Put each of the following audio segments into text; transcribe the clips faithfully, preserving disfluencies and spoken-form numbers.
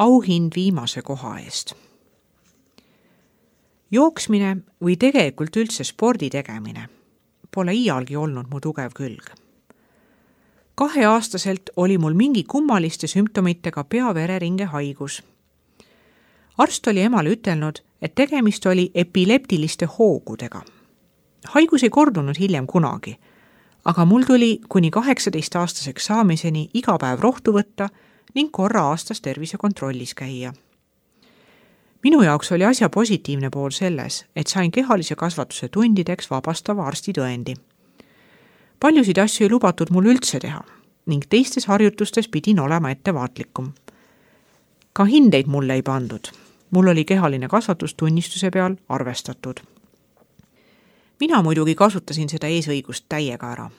auhind viimase koha eest. Jooksmine või tegelikult üldse spordi tegemine pole iialgi olnud mu tugev külg. Kaheaastaselt oli mul mingi kummaliste sümptomitega pea-vereringe haigus. Arst oli emale ütelnud, et tegemist oli epileptiliste hoogudega. Haigus ei kordunud hiljem kunagi, aga mul tuli kuni kaheksateist-aastaseks saamiseni iga päev rohtu võtta ning korra aastas tervisekontrollis käia. Minu jaoks oli asja positiivne pool selles, et sain kehalise kasvatuse tundideks vabastava arstitõendi. Paljusid asju ei lubatud mul üldse teha ning teistes harjutustes pidin olema ettevaatlikum. Ka hindeid mulle ei pandud. Mul oli kehaline kasvatus tunnistuse peal arvestatud. Mina muidugi kasutasin seda eesõigust täiega ära.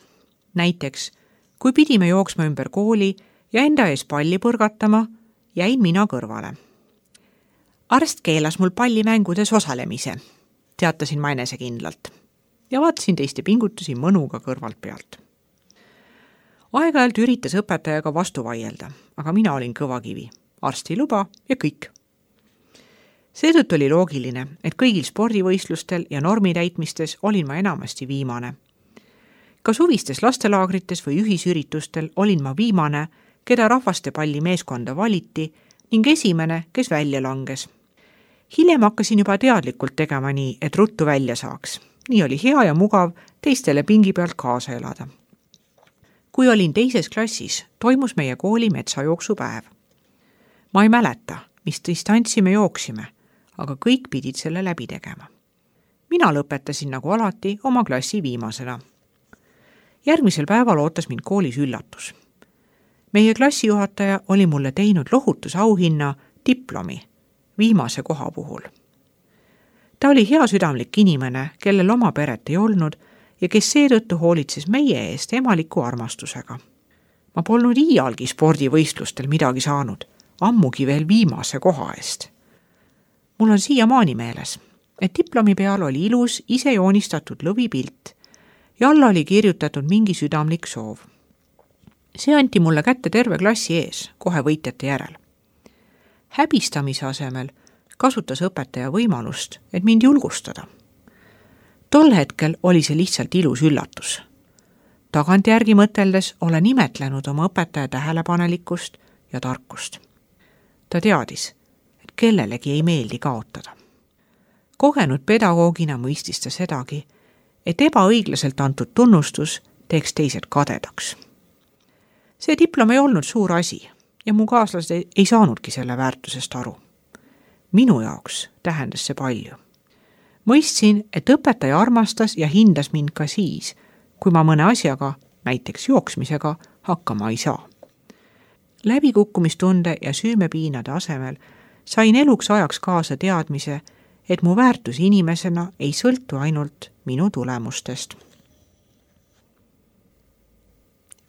Näiteks, kui pidime jooksma ümber kooli ja enda ees palli põrgatama, jäin mina kõrvale. Arst keelas mul pallimängudes osalemise, teatasin ma enesekindlalt ja vaatasin teiste pingutusi mõnuga kõrvalt pealt. Aeg-ajalt üritas õpetajaga vastu vaielda, aga mina olin kõvakivi, arsti luba ja kõik. Seetõttu oli loogiline, et kõigil spordivõistlustel ja normitäitmistes olin ma enamasti viimane. Ka suvistes lastelaagrites või ühisüritustel olin ma viimane, keda rahvaste palli meeskonda valiti ning esimene, kes välja langes. Hiljem hakkasin juba teadlikult tegema nii, et ruttu välja saaks. Nii oli hea ja mugav teistele pingi pealt kaasa elada. Kui olin teises klassis, toimus meie kooli metsajooksupäev. Ma ei mäleta, mis distantsi me jooksime, aga kõik pidid selle läbi tegema. Mina lõpetasin nagu alati oma klassi viimasena. Järgmisel päeval ootas mind koolis üllatus. Meie klassijuhataja oli mulle teinud lohutusauhinna diplomi viimase koha puhul. Ta oli hea südamlik inimene, kellel oma peret ei olnud ja kes seetõttu hoolitses meie eest emaliku armastusega. Ma polnud iialgi spordivõistlustel midagi saanud, ammugi veel viimase koha eest. Mul on siiamaani meeles, et diplomi peal oli ilus ise joonistatud lõvipilt ja alla oli kirjutatud mingi südamlik soov. See anti mulle kätte terve klassi ees, kohe võitjate järel. Häbistamise asemel kasutas õpetaja võimalust, et mind julgustada. Tol hetkel oli see lihtsalt ilus üllatus. Tagantjärgi mõteldes olen imetlenud oma õpetaja tähelepanelikkust ja tarkust. Ta teadis, et kellelegi ei meeldi kaotada. Kogenud pedagoogina mõistis ta sedagi, et ebaõiglaselt antud tunnustus teeks teised kadedaks. See diplom ei olnud suur asi ja mu kaaslased ei saanudki selle väärtusest aru. Minu jaoks tähendas see palju. Mõistsin, et õpetaja armastas ja hindas mind ka siis, kui ma mõne asjaga, näiteks jooksmisega, hakkama ei saa. Läbikukkumistunde ja süümepiinade asemel sain eluks ajaks kaasa teadmise, et mu väärtus inimesena ei sõltu ainult minu tulemustest.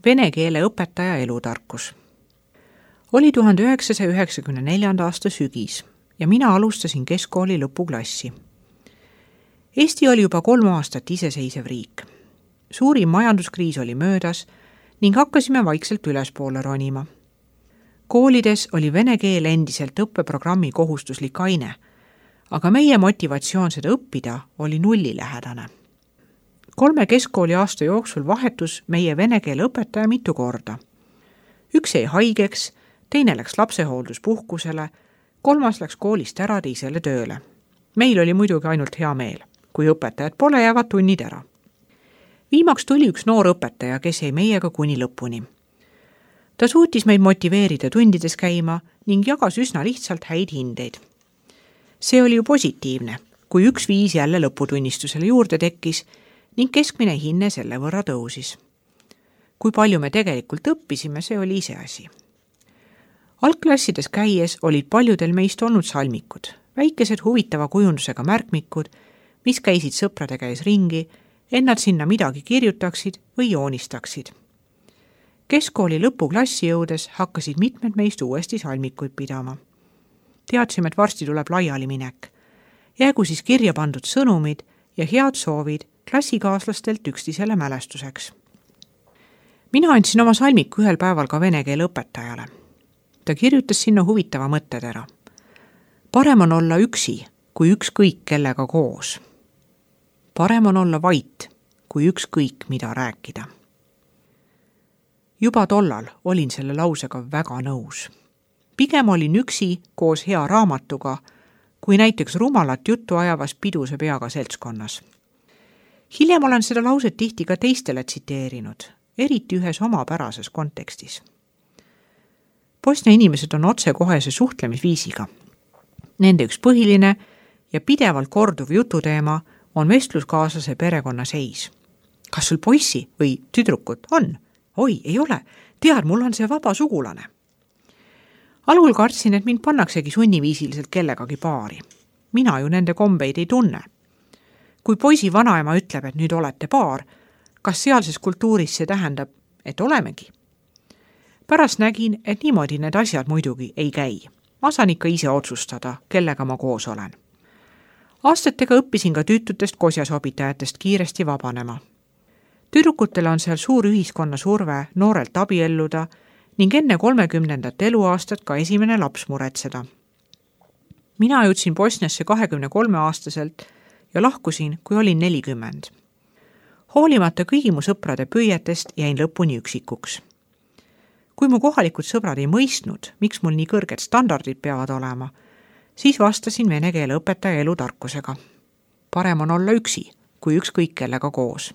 Vene keele õpetaja elutarkus. Oli tuhande üheksasaja üheksakümne neljanda aasta sügis ja mina alustasin keskkooli lõpuklassi. Eesti oli juba kolm aastat iseseisev riik. Suurim majanduskriis oli möödas ning hakkasime vaikselt ülespoole ronima. Koolides oli vene keel endiselt õppeprogrammi kohustuslik aine, aga meie motivatsioon seda õppida oli nullilähedane. Kolme keskkooli aasta jooksul vahetus meie vene keele õpetaja mitu korda. Üks jäi haigeks, teine läks lapsehoolduspuhkusele, kolmas läks koolist ära teisele tööle. Meil oli muidugi ainult hea meel, kui õpetajad pole, jäävad tunnid ära. Viimaks tuli üks noor õpetaja, kes jäi meiega kuni lõpuni. Ta suutis meid motiveerida tundides käima ning jagas üsna lihtsalt häid hindeid. See oli ju positiivne, kui üks viis jälle lõputunnistusele juurde tekkis ning keskmine hinne selle võrra tõusis. Kui palju me tegelikult õppisime, see oli ise asi. Algklassides käies olid paljudel meist olnud salmikud, väikesed huvitava kujundusega märkmikud, mis käisid sõprade käes ringi, ennad sinna midagi kirjutaksid või joonistaksid. Keskkooli lõpuklassi jõudes hakkasid mitmed meist uuesti salmikuid pidama. Teadsime, et varsti tuleb laiali minek. Jäägu siis kirja pandud sõnumid ja head soovid klassikaaslastelt üksteisele mälestuseks. Mina andsin oma salmiku ühel päeval ka vene keele õpetajale. Ta kirjutas sinna huvitava mõttetera. Parem on olla üksi, kui ükskõik kellega koos. Parem on olla vait, kui ükskõik mida rääkida. Juba tollal olin selle lausega väga nõus. Pigem olin üksi koos hea raamatuga, kui näiteks rumalat juttu ajavas piduse peaga seltskonnas. Hiljem olen seda lauset tihti ka teistele tsiteerinud, eriti ühes omapärases kontekstis. Bosnia inimesed on otsekohese suhtlemisviisiga. Nende üks põhiline ja pidevalt korduv jututeema on vestluskaaslase perekonna seis. Kas sul poissi või tüdrukut on? Oi, ei ole. Tead, mul on see vaba sugulane. Algul kartsin, et mind pannaksegi sunniviisiliselt kellegagi paari. Mina ju nende kombeid ei tunne. Kui poisi vanaema ütleb, et nüüd olete paar, kas sealses kultuuris see tähendab, et olemegi? Pärast nägin, et niimoodi need asjad muidugi ei käi. Ma saan ikka ise otsustada, kellega ma koos olen. Aastatega õppisin ka tüütutest kosjasobitajatest kiiresti vabanema. Tüdrukutele on seal suur ühiskonna surve noorelt abielluda ning enne kolmekümnendat eluaastat ka esimene laps muretseda. Mina jõudsin Bosniasse kahekümne kolme aastaselt ja lahkusin, kui olin nelikümmend. Hoolimata kõigi mu sõprade püüetest jäin lõpuni üksikuks. Kui mu kohalikud sõbrad ei mõistnud, miks mul nii kõrged standardid peavad olema, siis vastasin vene keele õpetaja elutarkusega. Parem on olla üksi, kui ükskõik kellega koos.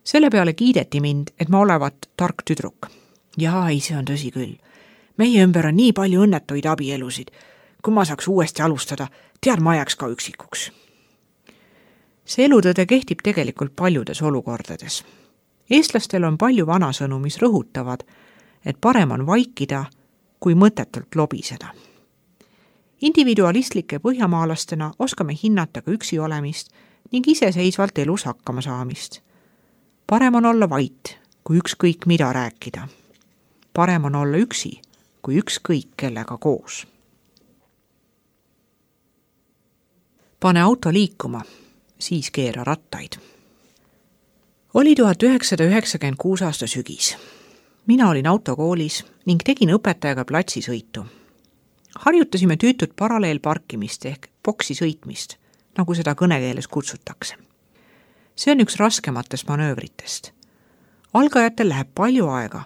Selle peale kiideti mind, et ma olevat tark tüdruk. Jaa, ei, see on tõsi küll. Meie ümber on nii palju õnnetuid abielusid. Kui ma saaks uuesti alustada, tead, ma jääks ka üksikuks. See elutõde kehtib tegelikult paljudes olukordades. Eestlastel on palju vanasõnu, mis rõhutavad, et parem on vaikida, kui mõtetult lobiseda. Individualistlike põhjamaalastena oskame hinnata ka üksi olemist ning iseseisvalt elus hakkama saamist. Parem on olla vait, kui ükskõik mida rääkida. Parem on olla üksi, kui ükskõik kellega koos. Pane auto liikuma, siis keera rattaid. Oli tuhat üheksasada üheksakümmend kuus aasta sügis. Mina olin autokoolis ning tegin õpetajaga platsisõitu. Harjutasime tüütut paralleelparkimist ehk boksi sõitmist, nagu seda kõnekeeles kutsutakse. See on üks raskematest manöövritest. Algajatel läheb palju aega,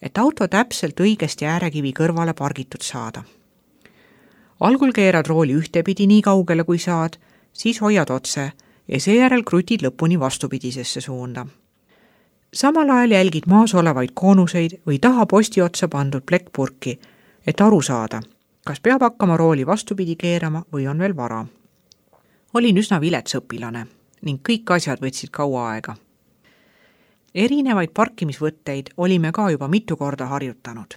et auto täpselt õigesti äärekivi kõrvale pargitud saada. Algul keerad rooli ühtepidi nii kaugele kui saad, siis hoiad otse ja seejärel krutid lõpuni vastupidisesse suunda. Samal ajal jälgid maas olevaid koonuseid või taha posti otsa pandud plekkpurki, et aru saada, kas peab hakkama rooli vastupidi keerama või on veel vara. Olin üsna vilets õpilane ning kõik asjad võtsid kaua aega. Erinevaid parkimisvõtteid olime ka juba mitu korda harjutanud.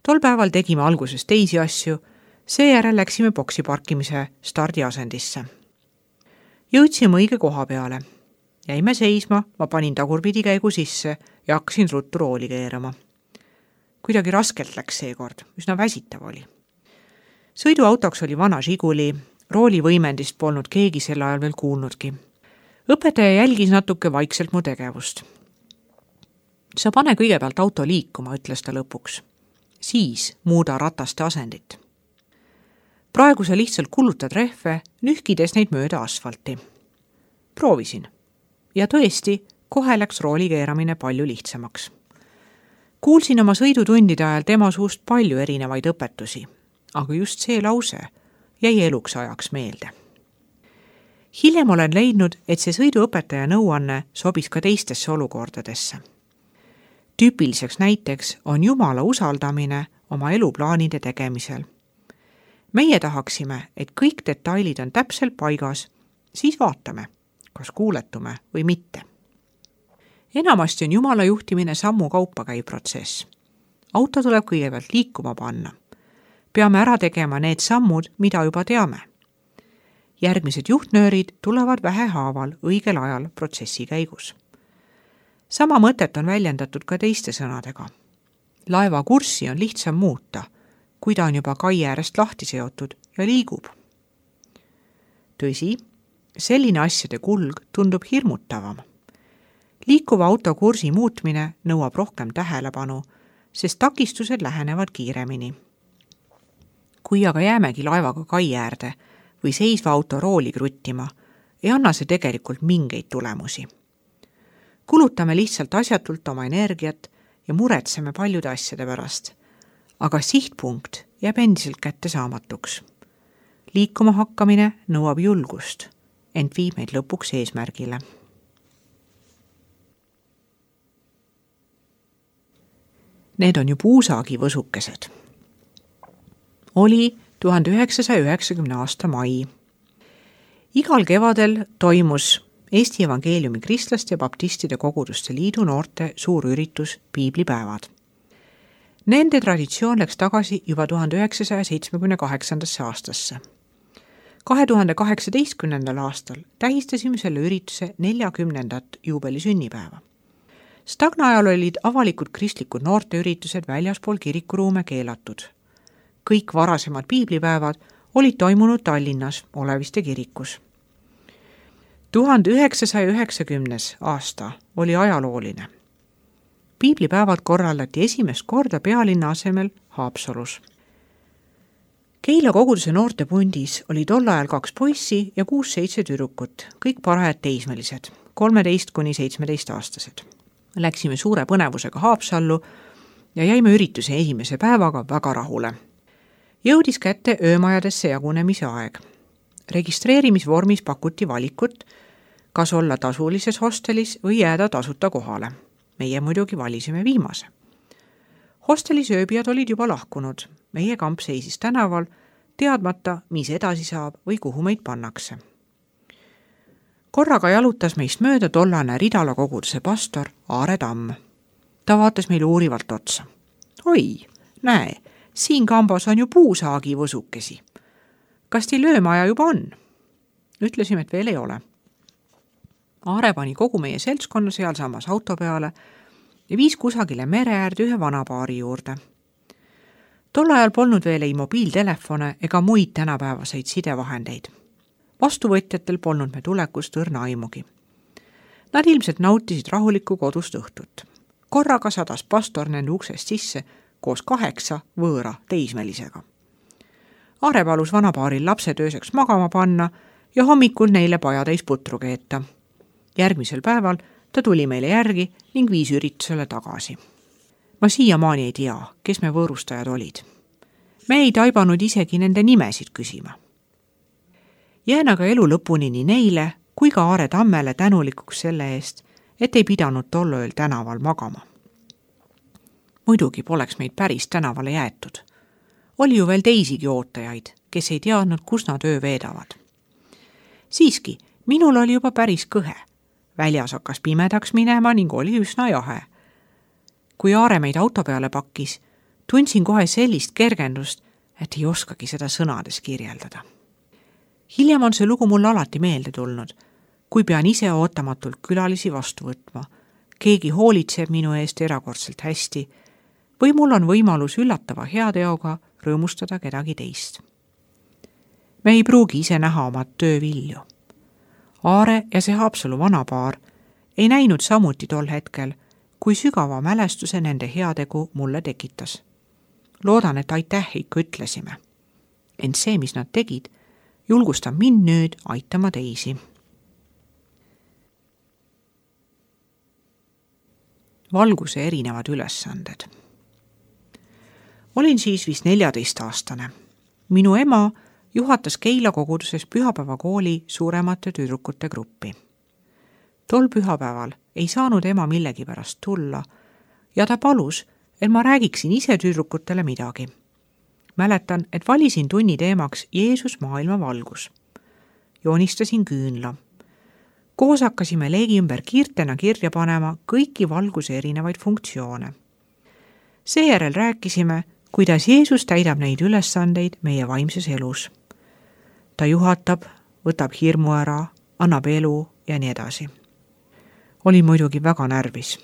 Tol päeval tegime alguses teisi asju, seejärel läksime boksi parkimise stardiasendisse. Jõudsime õige koha peale. Jäime seisma, ma panin tagurpidi käigu sisse ja hakkasin ruttu rooli keerama. Kuidagi raskelt läks seekord, üsna väsitav oli. Sõiduautoks oli vana Žiguli, rooli võimendist polnud keegi sel ajal veel kuulnudki. Õpetaja jälgis natuke vaikselt mu tegevust. Sa pane kõigepealt auto liikuma, ütles ta lõpuks. Siis muuda rataste asendit. Praegu sa lihtsalt kulutad rehve, nühkides neid mööda asfalti. Proovisin. Ja tõesti, kohe läks rooli keeramine palju lihtsamaks. Kuulsin oma sõidutundide ajal tema suust palju erinevaid õpetusi, aga just see lause jäi eluks ajaks meelde. Hiljem olen leidnud, et see sõiduõpetaja nõuanne sobis ka teistesse olukordadesse. Tüüpiliseks näiteks on Jumala usaldamine oma eluplaanide tegemisel. Meie tahaksime, et kõik detailid on täpselt paigas, siis vaatame, kas kuuletume või mitte. Enamasti on Jumala juhtimine sammu kaupa käiv protsess. Auto tuleb kõigepealt liikuma panna. Peame ära tegema need sammud, mida juba teame. Järgmised juhtnöörid tulevad vähehaaval õigel ajal protsessi käigus. Sama mõtet on väljendatud ka teiste sõnadega. Laeva kurssi on lihtsam muuta, kui ta on juba kai äärest lahti seotud ja liigub. Tõsi, selline asjade kulg tundub hirmutavam. Liikuva auto kursi muutmine nõuab rohkem tähelepanu, sest takistused lähenevad kiiremini. Kui aga jäämegi laevaga kai äärde või seisva auto rooli kruttima, ei anna see tegelikult mingeid tulemusi. Kulutame lihtsalt asjatult oma energiat ja muretseme paljude asjade pärast, aga sihtpunkt jääb endiselt kätte saamatuks. Liikuma hakkamine nõuab julgust, ent viib meid lõpuks eesmärgile. Need on ju puusaagi võsukesed. Oli tuhande üheksasaja üheksakümne aasta mai. Igal kevadel toimus Eesti Evangeeliumi Kristlaste ja Baptistide Koguduste Liidu noorte suur üritus Piiblipäevad. Nende traditsioon läks tagasi juba tuhande üheksasaja seitsmekümne kaheksandasse aastasse. kahe tuhande kaheksateistkümnendal aastal tähistasime selle ürituse neljakümnendat juubelisünnipäeva. Stagna ajal olid avalikud kristlikud noorteüritused väljaspool kirikuruume keelatud. Kõik varasemad piiblipäevad olid toimunud Tallinnas Oleviste kirikus. tuhande üheksasaja üheksakümnes aasta oli ajalooline. Piiblipäevad korraldati esimest korda pealinna asemel Haapsalus. Keila koguduse noortepundis oli tol ajal kaks poissi ja kuus-seitse tüdrukut, kõik parajad teismelised, kolmeteist kuni seitsmeteist aastased. Läksime suure põnevusega Haapsallu ja jäime ürituse esimese päevaga väga rahule. Jõudis kätte öömajadesse jagunemise aeg. Registreerimisvormis pakuti valikut, kas olla tasulises hostelis või jääda tasuta kohale. Meie muidugi valisime viimase. Hostelis ööbijad olid juba lahkunud. Meie kamp seisis tänaval, teadmata, mis edasi saab või kuhu meid pannakse. Korraga jalutas meist mööda tollane Ridala koguduse pastor Aare Tamm. Ta vaatas meile uurivalt otsa. Oi, näe, siin kambas on ju puusaagi võsukesi. Kas teil öömaja juba on? Ütlesime, et veel ei ole. Aare pani kogu meie seltskonna sealsamas auto peale ja viis kusagile mere äärde ühe vanapaari juurde. Tol ajal polnud veel ei mobiiltelefone ega muid tänapäevaseid sidevahendeid. Vastuvõtjatel polnud me tulekust õrna aimugi. Nad ilmselt nautisid rahulikku kodust õhtut. Korraga sadas pastor nende uksest sisse koos kaheksa võõra teismelisega. Aare palus vanapaaril lapsed ööseks magama panna ja hommikul neile pajatäis putru keeta. Järgmisel päeval ta tuli meile järgi ning viis üritusele tagasi. Ma siiamaani ei tea, kes me võõrustajad olid. Me ei taibanud isegi nende nimesid küsima. Jään aga elu lõpuni nii neile kui ka Aare Tammele tänulikuks selle eest, et ei pidanud tol ööl tänaval magama. Muidugi poleks meid päris tänavale jäetud. Oli ju veel teisigi ootajaid, kes ei teadnud, kus nad öö veedavad. Siiski, minul oli juba päris kõhe. Väljas hakkas pimedaks minema ning oli üsna jahe. Kui Aare meid auto peale pakkis, tundsin kohe sellist kergendust, et ei oskagi seda sõnades kirjeldada. Hiljem on see lugu mulle alati meelde tulnud, kui pean ise ootamatult külalisi vastu võtma, keegi hoolitseb minu eest erakordselt hästi või mul on võimalus üllatava heateoga rõõmustada kedagi teist. Me ei pruugi ise näha oma töö vilju. Aare ja see Haapsalu vanapaar ei näinud samuti tol hetkel, kui sügava mälestuse nende heategu mulle tekitas. Loodan, et aitäh ikka ütlesime. Ent see, mis nad tegid, julgustab mind nüüd aitama teisi. Valguse erinevad ülesanded. Olin siis vist neljateist-aastane. Minu ema juhatas Keila koguduses pühapäevakooli suuremate tüdrukute gruppi. Tol pühapäeval ei saanud ema millegi pärast tulla ja ta palus, et ma räägiksin ise tüdrukutele midagi. Mäletan, et valisin tunni teemaks Jeesus maailma valgus. Joonistasin küünla. Koos hakkasime leegi ümber kiirtena kirja panema kõiki valguse erinevaid funktsioone. Seejärel rääkisime, kuidas Jeesus täidab neid ülesandeid meie vaimses elus. Ta juhatab, võtab hirmu ära, annab elu ja nii edasi. Olin muidugi väga närvis.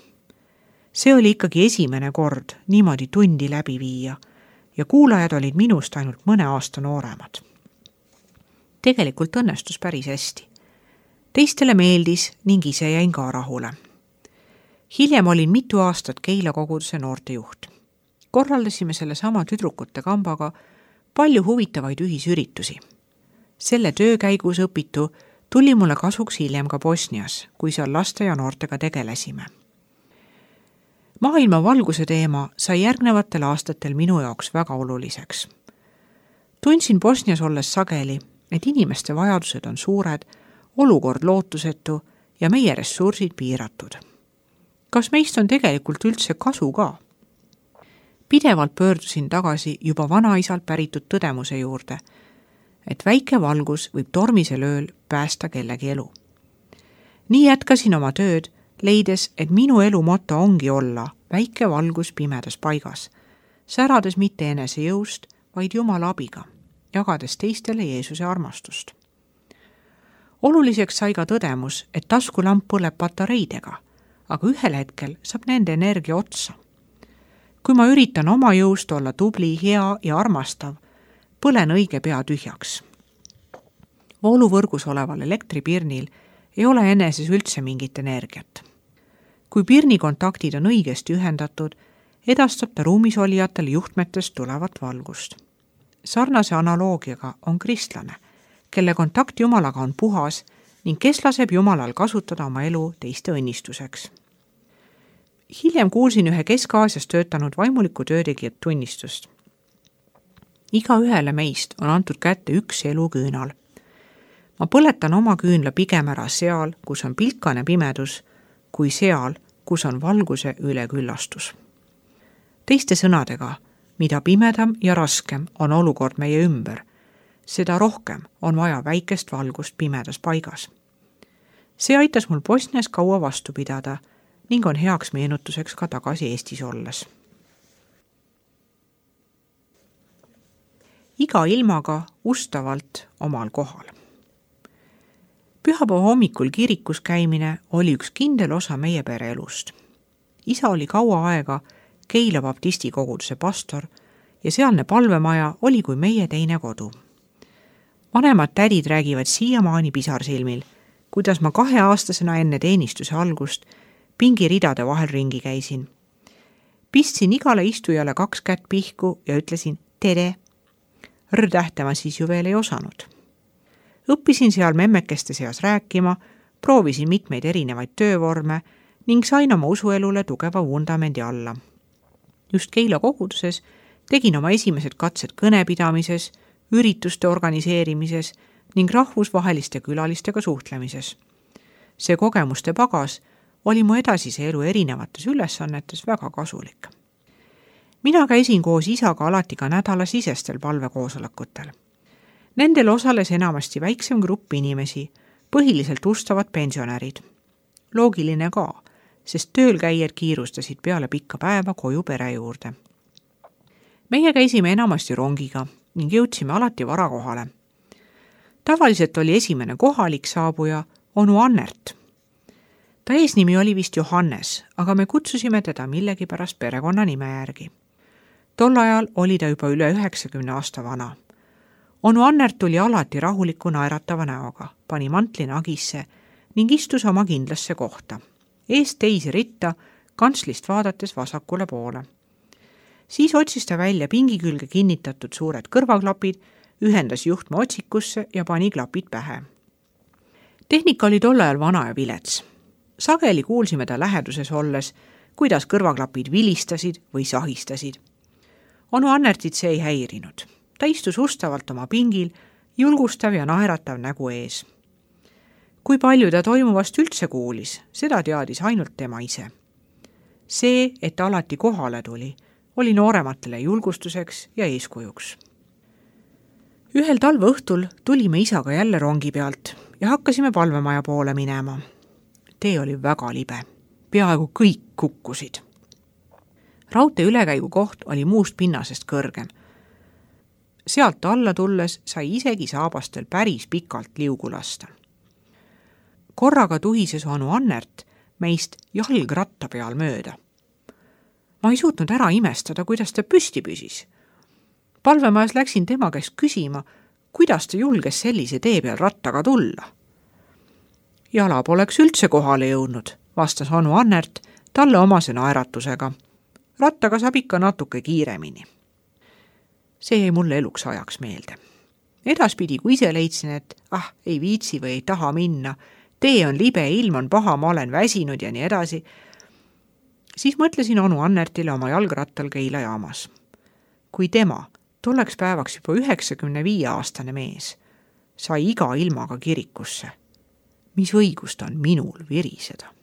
See oli ikkagi esimene kord niimoodi tundi läbi viia ja kuulajad olid minust ainult mõne aasta nooremad. Tegelikult õnnestus päris hästi. Teistele meeldis ning ise jäin ka rahule. Hiljem olin mitu aastat Keila koguduse noortejuht. korraldasime selle sama tüdrukute kambaga palju huvitavaid ühisüritusi. Selle töö käigus õpitu tuli mulle kasuks hiljem ka Bosnias, kui seal laste ja noortega tegelesime. Maailma valguse teema sai järgnevatel aastatel minu jaoks väga oluliseks. Tundsin Bosnias olles sageli, et inimeste vajadused on suured, olukord lootusetu ja meie ressursid piiratud. Kas meist on tegelikult üldse kasu ka? Pidevalt pöördusin tagasi juba vanaisalt päritud tõdemuse juurde, et väike valgus võib tormisel ööl päästa kellegi elu. Nii jätkasin oma tööd, leides, et minu elu moto ongi olla väike valgus pimedas paigas, särades mitte enese jõust, vaid Jumala abiga, jagades teistele Jeesuse armastust. Oluliseks sai ka tõdemus, et taskulamp põleb patareidega, aga ühel hetkel saab nende energia otsa. Kui ma üritan oma jõust olla tubli, hea ja armastav, põlen õige pea tühjaks. Vooluvõrgus oleval elektripirnil ei ole eneses üldse mingit energiat. Kui pirni kontaktid on õigesti ühendatud, edastab ta ruumis olijatele juhtmetest tulevat valgust. Sarnase analoogiaga on kristlane, kelle kontakt Jumalaga on puhas ning kes laseb Jumalal kasutada oma elu teiste õnnistuseks. Hiljem kuulsin ühe Kesk-Aasias töötanud vaimuliku töötegijat tunnistust. Iga ühele meist on antud kätte üks eluküünal. Ma põletan oma küünla pigem ära seal, kus on pilkane pimedus, kui seal, kus on valguse üleküllastus. Teiste sõnadega, mida pimedam ja raskem on olukord meie ümber, seda rohkem on vaja väikest valgust pimedas paigas. See aitas mul Bosnias kaua vastu pidada ning on heaks meenutuseks ka tagasi Eestis olles. Iga ilmaga ustavalt omal kohal. Pühapäeva hommikul kirikus käimine oli üks kindel osa meie pere elust. Isa oli kaua aega Keila baptisti koguduse pastor ja sealne palvemaja oli kui meie teine kodu. Vanemad tädid räägivad siiamaani pisarsilmil, kuidas ma kaheaastasena enne teenistuse algust pingiridade vahel ringi käisin. Pistsin igale istujale kaks kätt pihku ja ütlesin tere. R-tähte ma siis ju veel ei osanud. Õppisin seal memmekeste seas rääkima, proovisin mitmeid erinevaid töövorme ning sain oma usuelule tugeva vundamendi alla. Just Keila koguduses tegin oma esimesed katsed kõnepidamises, ürituste organiseerimises ning rahvusvaheliste külalistega suhtlemises. See kogemuste pagas oli mu edasise elu erinevates ülesannetes väga kasulik. Mina käisin koos isaga alati ka nädalasisestel palvekoosolekutel. Nendel osales enamasti väiksem grupp inimesi, põhiliselt ustavad pensionärid. Loogiline ka, sest tööl käijad kiirustasid peale pikka päeva koju pere juurde. Meie käisime enamasti rongiga ning jõudsime alati vara kohale. Tavaliselt oli esimene kohalik saabuja onu Annert. Ta eesnimi oli vist Johannes, aga me kutsusime teda millegipärast perekonna nime järgi. Tol ajal oli ta juba üle üheksakümne aasta vana. Onu Annert tuli alati rahuliku naeratava näoga, pani mantli nagisse ning istus oma kindlasse kohta. Eest teisi ritta, kantslist vaadates vasakule poole. Siis otsis ta välja pingi külge kinnitatud suured kõrvaklapid, ühendas juhtme otsikusse ja pani klapid pähe. Tehnika oli tol ajal vana ja vilets. Sageli kuulsime ta läheduses olles, kuidas kõrvaklapid vilistasid või sahistasid. Onu Annertit see ei häirinud. Ta istus ustavalt oma pingil, julgustav ja naeratav nägu ees. Kui palju ta toimuvast üldse kuulis, seda teadis ainult tema ise. See, et ta alati kohale tuli, oli noorematele julgustuseks ja eeskujuks. Ühel talve õhtul tulime isaga jälle rongi pealt ja hakkasime palvemaja poole minema. Tee oli väga libe. Peaaegu kõik kukkusid. Raudtee ülekäigu koht oli muust pinnasest kõrgem. Sealt alla tulles sai isegi saabastel päris pikalt liugu lasta. Korraga tuhises onu Annert meist jalgratta peal mööda. Ma ei suutnud ära imestada, kuidas ta püsti püsis. Palvemajas läksin tema käest küsima, kuidas ta julges sellise tee peal rattaga tulla. Jala poleks üldse kohale jõudnud, vastas onu Annert talle omase naeratusega. rattaga saab ikka natuke kiiremini. See jäi mulle eluks ajaks meelde. Edaspidi, kui ise leidsin, et ah, ei viitsi või ei taha minna, tee on libe, ilm on paha, ma olen väsinud ja nii edasi, siis mõtlesin onu Annertile oma jalgrattal Keila jaamas. Kui tema, tolleks päevaks juba üheksakümne viie aastane mees, sai iga ilmaga kirikusse, mis õigust on minul viriseda.